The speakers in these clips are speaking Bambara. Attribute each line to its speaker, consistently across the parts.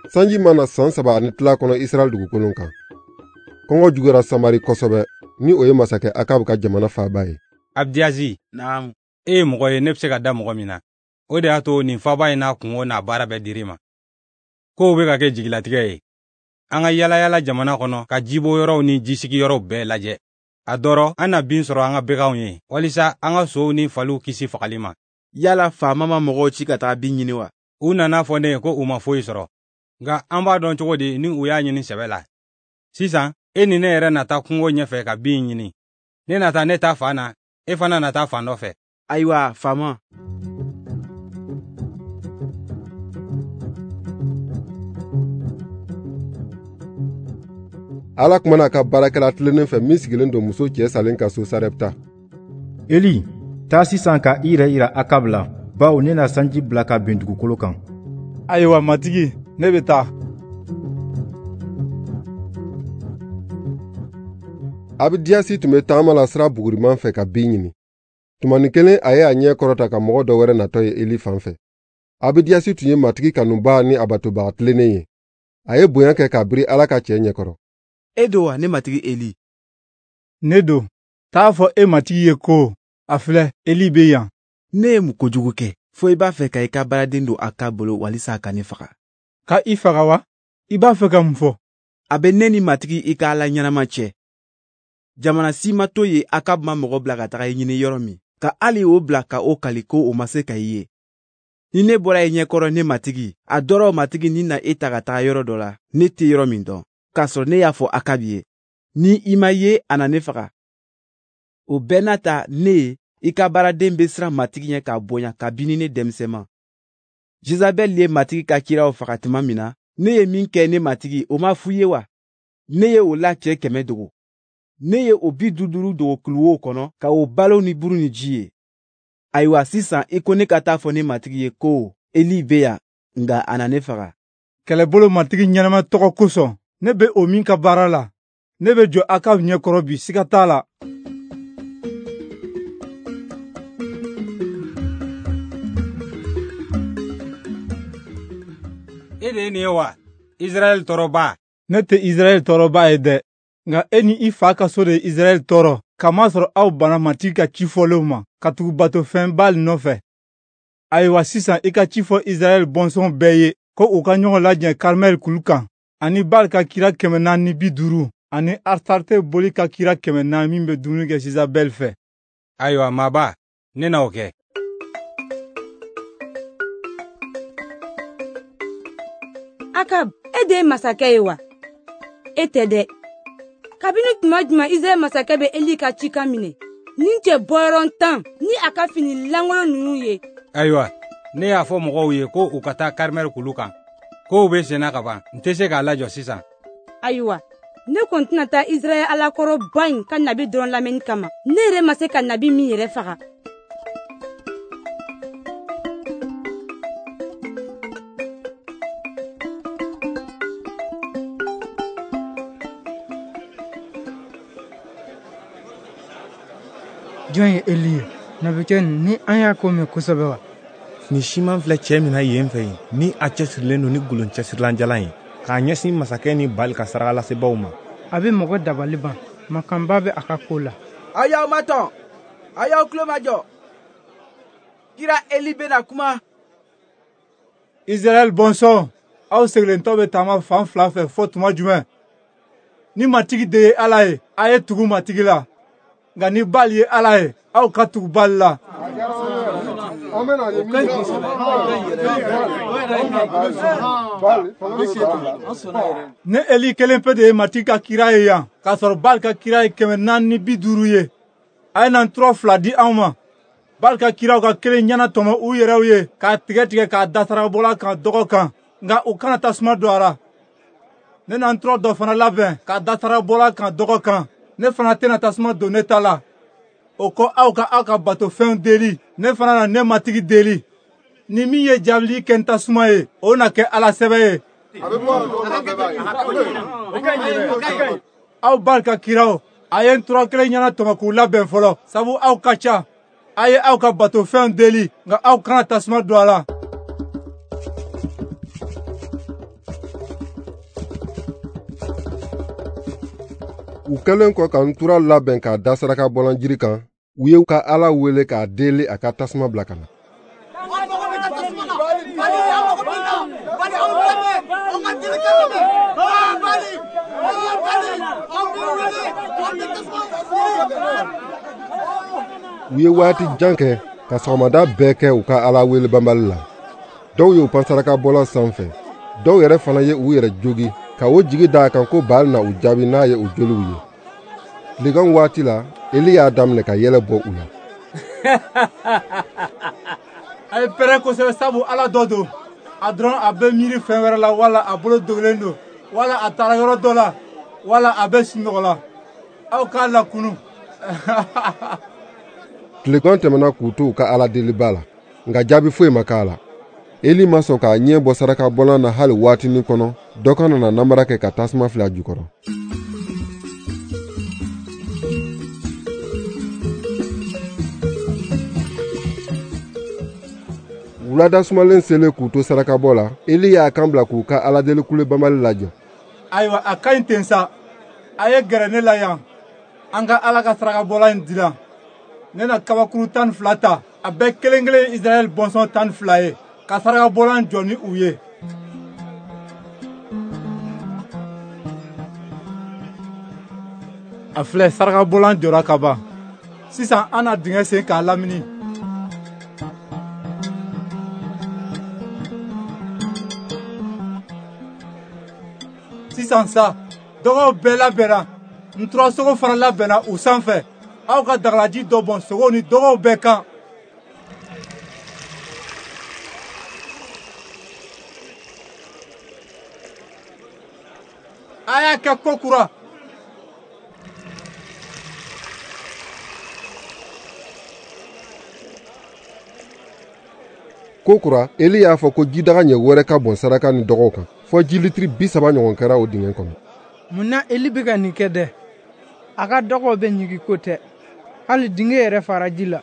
Speaker 1: Sanji ma na san 3 ani tila kɔnɔ Israɛl dugukolo kan. Kɔngɔ juguyara Samari kosɛbɛ, ni o ye masakɛ Akab ka jamana faaba ye.
Speaker 2: Abdiazi,
Speaker 3: Naamu.
Speaker 2: E ye mɔgɔ ye ne bɛ se ka da mɔgɔ min na. O de y'a to nin faaba in n'a kungo n'a baara bɛɛ dir'i ma. Kow bɛ ka kɛ jigilatigɛ ye. An ka yalayala jamana kɔnɔ ka jibɔ yɔrɔw ni jisigiyɔrɔw bɛɛ lajɛ. A dɔrɔ an na bin sɔrɔ an ka baganw ye, walisa an ka sow ni faliw kisi fagali ma.
Speaker 3: Yala faama ma mɔgɔw ci ka taga bin ɲini wa?
Speaker 2: U nana fɔ ne ye ko u ma foyi sɔrɔ. Nka an b'a dɔn cogo di ni u y'a ɲini sɛbɛ la? Sisan, e ni ne yɛrɛ na taa kungo ɲɛfɛ ka bin ɲini. Ne na taa ne ta fan na, e fana na taa fan dɔ fɛ.
Speaker 3: Ayiwa, faama.
Speaker 1: Ala kumana a ka baarakɛla tilennen fɛ min sigilen don muso cɛ salen ka so Sarepta.
Speaker 4: Eli, taa sisan ka i yɛrɛ yira Akab la, bawo ne na sanji bila ka bin dugukolo kan.
Speaker 5: Ayiwa, matigi, ne bɛ taa.
Speaker 1: Abidiyasi tun bɛ taama la sira buguriman fɛ ka bin ɲini. Tumanin kelen a ye a ɲɛ kɔrɔta ka mɔgɔ dɔ wɛrɛ natɔ ye Eli fan fɛ. Abidiyasi tun ye matigi kanubaa ni a batobaga tilennen ye. A ye bonya kɛ k'a biri Ala ka cɛ ɲɛkɔrɔ.
Speaker 3: E don wa, ne matigi Eli?
Speaker 5: Ne don. T'a fɔ e matigi ye ko, a filɛ, Eli bɛ yan.
Speaker 3: Ne ye mun kojugu kɛ, fo i b'a fɛ ka i ka baaraden don a ka bolo walisa a ka ne faga?
Speaker 5: Ka i faga wa? I b'a fɛ ka mun fɔ?
Speaker 3: A bɛ ne ni matigi i ka Ala ɲɛnama cɛ. Jamana si ma to yen Akab ma mɔgɔ bila ka taga i ɲini yɔrɔ min, ka hali o bila ka o kali ko o ma se ka i ye. Ni ne bɔra i ɲɛkɔrɔ ne matigi, a dɔrɔ matigi ni na e ta ka taga yɔrɔ dɔ la, ne tɛ yɔrɔ min dɔn, k'a sɔrɔ ne y'a fɔ Akab ye. Ni i ma ye, a na ne faga. O bɛɛ n'a ta, ne, i ka baaraden bɛ siran matigi ɲɛ k'a bonya kabini ne denmisɛnma. Jezabɛl ye matigi ka kiraw faga tuma min na, ne ye min kɛ ne matigi, o ma f'u ye wa? Ne ye o la cɛ 100 dogo. Ne ye o 50 dogo kuluwow kɔnɔ ka o balo ni buru ni ji ye. Ayiwa sisan i ko ne ka taa fɔ ne matigi ye ko Eli bɛ yan, nka a na ne faga.
Speaker 5: Kɛlɛbolo matigi ɲɛnama tɔgɔ kosɔn, ne bɛ o min ka baara la, ne bɛ jɔ Akab ɲɛkɔrɔ bi, siga t'a la.
Speaker 2: E de ye nin ye wa, Israɛl tɔɔrɔba?
Speaker 5: Ne tɛ Israɛl tɔɔrɔba ye dɛ, nka e ni i fa ka so de ye Israɛl tɔɔrɔ, kamasɔrɔ aw banna matigi ka ci fɔlenw ma, ka tugu batofɛn Baal nɔfɛ. Ayiwa sisan i ka ci fɔ Israɛl bɔnsɔn bɛɛ ye ko u ka ɲɔgɔn lajɛ Karmɛl kulu kan, ani Baal ka kira 450, ani Astarte boli ka kira 400 min bɛ dumuni kɛ Jezabɛl fɛ.
Speaker 2: Ayiwa maaba, ne na o kɛ.
Speaker 6: Akab, e de ye masakɛ ye wa? E tɛ dɛ. Kabini tuma jumɛn Israɛl masakɛ bɛ Eli ka cikan minɛ? Nin cɛ bɔyɔrɔ 10 ni a ka fini lankolon ninnu ye.
Speaker 2: Ayiwa, ne y'a fɔ mɔgɔw ye ko u ka taa Karmɛl kulu kan. Kow bɛ senna ka ban, n tɛ se k'a lajɔ sisan.
Speaker 6: Ayiwa, ne kɔni tɛna taa Israɛl alakɔrɔba in ka nabi dɔrɔn lamɛnni kama. Ne yɛrɛ ma se ka nabi min yɛrɛ faga.
Speaker 7: Jɔn ye Eli ye? Nabikɛ ni an y'a ko mɛn kosɛbɛ wa?
Speaker 8: Ni siman filɛ cɛ min na yen fɛ yen, ni a cɛsirilen don ni golon cɛsirilanjalan ye, k'a ɲɛsin masakɛ ni Bali ka sarakalasebaaw ma.
Speaker 7: A bɛ mɔgɔ dabali ban, makanba bɛ a ka ko la.
Speaker 3: Aw y'aw matɔn, aw y'aw tulo majɔ. Kira Eli bɛna kuma.
Speaker 5: Israɛl bɔnsɔn, aw segilentɔ bɛ taama fan fila fɛ fɔ tuma jumɛn? Ni matigi de ye Ala ye, a ye tugu matigi la. Nka ni Baal ye Ala ye, aw ka tugu Baal la. Ne Eli kelen pe de ye matigi ka kira ye yan, k'a sɔrɔ Baal ka kira ye 450 ye. A ye na ntura 2 di anw ma. Baal ka kiraw ka kelen ɲɛna tɔmɔ u yɛrɛw ye k'a tigɛ tigɛ k'a da sarakabɔlan kan dɔgɔ kan, nka u kana tasuma don a la. Ne na ntura dɔ fana labɛn k'a da sarakabɔlan kan dɔgɔ kan. Ne fana tɛna tasuma don ne ta la. O kɔ aw ka aw ka batofɛnw deli, ne fana na ne matigi deli. Ni min ye jaabili kɛ n tasuma ye, o na kɛ Ala sɛbɛ ye. Aw Baal ka kiraw, A ye ntura kelen ɲɛna tɔmɔ k'u labɛn fɔlɔ, sabu aw ka ca. A ye aw ka batofɛnw deli, nka aw kana tasuma don a la.
Speaker 1: U kɛlen kɔ ka ntura labɛn k'a da saraka bɔlan jiri kan, u ye ka Ala wele k'a deli a ka tasuma bila ka na. U ye waati jan kɛ ka sɔgɔmada bɛɛ kɛ u ka Ala wele banbali la. Dɔw y'u pan saraka bɔlan sanfɛ, dɔw yɛrɛ fana ye u yɛrɛ jogi ka o jigi da a kan ko Baal na u jaabi n'a ye u joliw ye. Tilegan waati la, Eli y'a daminɛ ka yɛlɛ bɔ u la.
Speaker 5: A ye pɛrɛn kosɛbɛ sabu Ala dɔ don. A dɔrɔn a bɛ miiri fɛn wɛrɛ la, wala a bolo dogolen don, wala a taara yɔrɔ dɔ la, wala a bɛ sunɔgɔ la. Aw k'a lakunu.
Speaker 1: Tilegan tɛmɛna k'u to u ka Ala deliba la, nka jaabi foyi ma k'a la. Eli ma sɔn k'a ɲɛ bɔ saraka bɔlan na hali waatinin kɔnɔ, dɔ kana na namara kɛ ka tasuma fili a jukɔrɔ. Wulada sumalen selen k'u to sarakabɔ la, Eli y'a kan bila k'u ka Ala deli kule banbali lajɔ.
Speaker 5: Ayiwa, a ka ɲi ten sa. A ye gɛrɛ ne la yan. An ka Ala ka sarakabɔlan in dilan. Ne na kabakuru 12 ta, a bɛɛ kelen kelen ye Israɛl bɔnsɔn 12 ye, ka sarakabɔlan jɔ ni u ye. A filɛ, sarakabɔlan jɔra ka ban. Sisan an na dingɛ sen k'a lamini. Sisan sa, dɔgɔw bɛɛ labɛnna, nturasogo fana labɛnna u sanfɛ. Aw ka dagalaji dɔ bɔn sogow ni dɔgɔw bɛɛ kan. A y'a kɛ ko kura.
Speaker 1: Ko kura, Eli y'a fɔ ko jidaga ɲɛ wɛrɛ ka bɔn saraka ni dɔgɔw kan, fɔ ji litiri 30 ɲɔgɔn kɛra o dingɛ kɔnɔ.
Speaker 7: Mun na Eli bɛ ka nin kɛ dɛ? A ka dɔgɔw bɛ ɲigin ko tɛ. Hali dingɛ yɛrɛ fara ji la.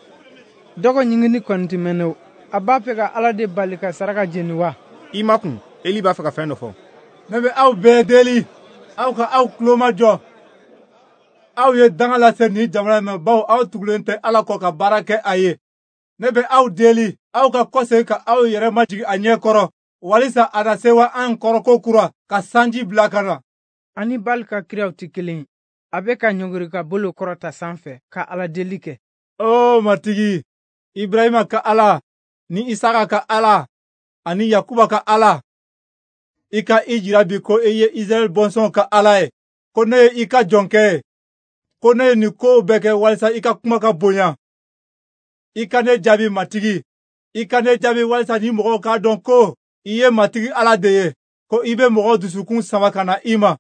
Speaker 7: Dɔgɔ ɲigini kɔni tɛ mɛnɛ o. A b'a fɛ ka Ala de bali ka saraka jeni wa?
Speaker 8: I ma kun, Eli b'a fɛ ka fɛn dɔ fɔ.
Speaker 5: Ne bɛ aw bɛɛ deli, aw ka aw tulo majɔ. Aw ye danga lase nin jamana in ma, bawo aw tugulen tɛ Ala kɔ ka baara kɛ a ye. Ne bɛ aw deli, aw ka kɔsegin ka aw yɛrɛ majigin a ɲɛ kɔrɔ, walisa a na sewa an kɔrɔ ko kura ka sanji bila ka na.
Speaker 7: Ani Baal ka kiraw tɛ kelen ye. A bɛ ka ɲɔngiri ka bolo kɔrɔta sanfɛ ka Ala deli kɛ.
Speaker 5: O Matigi, Ibrahima ka Ala, ni Isaka ka Ala, ani Yakuba ka Ala, i ka i jira bi ko i ye Israɛl bɔnsɔnw ka Ala ye, ko ne ye i ka jɔnkɛ ye, ko ne ye nin kow bɛɛ kɛ walisa i ka kuma ka bonya. I ka ne jaabi Matigi, i ka ne jaabi walisa ni mɔgɔw k'a dɔn ko i ye Matigi Ala de ye, ko i bɛ mɔgɔw dusukun sama ka na i ma.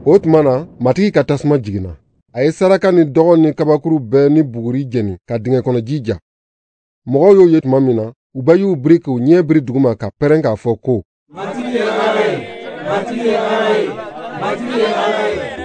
Speaker 1: O tuma na, Matigi ka tasuma jiginna. A ye saraka ni dɔgɔ ni kabakuru bɛɛ ni buguri jeni ka dingɛ kɔnɔ ji ja. Mɔgɔw y'o ye tuma min na, u bɛɛ y'u biri k'u ɲɛ biri duguma ka pɛrɛn k'a fɔ ko:
Speaker 9: Matigi ye Ala ye, Matigi ye Ala ye, Matigi ye Ala ye.